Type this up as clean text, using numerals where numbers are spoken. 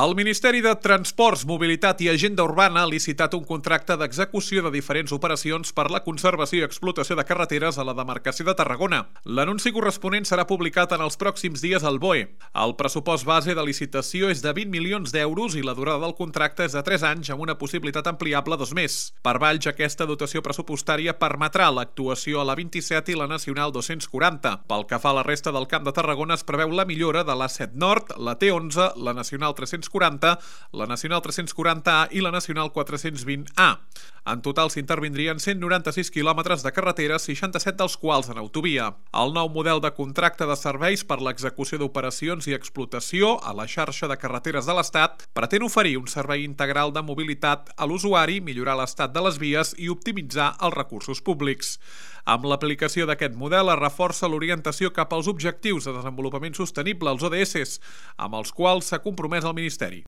El Ministeri de Transports, Mobilitat i Agenda Urbana ha licitat un contracte d'execució de diferents operacions per la conservació i explotació de carreteres a la demarcació de Tarragona. L'anunci corresponent serà publicat en els pròxims dies al BOE. El pressupost base de licitació és de 20 milions d'euros i la durada del contracte és de 3 anys amb una possibilitat ampliable a 2 més. Per Valls, aquesta dotació pressupostària permetrà l'actuació a la 27 i la Nacional 240. Pel que fa a la resta del Camp de Tarragona, es preveu la millora de l'A7 Nord, la T11, la Nacional 340, la Nacional 340A i la Nacional 420A. En total s'intervindrien 196 quilòmetres de carreteres, 67 dels quals en autovia. El nou model de contracte de serveis per l'execució d'operacions i explotació a la xarxa de carreteres de l'Estat pretén oferir un servei integral de mobilitat a l'usuari, millorar l'estat de les vies i optimitzar els recursos públics. Amb l'aplicació d'aquest model es reforça l'orientació cap als objectius de desenvolupament sostenible, els ODS, amb els quals s'ha compromès el Ministeri.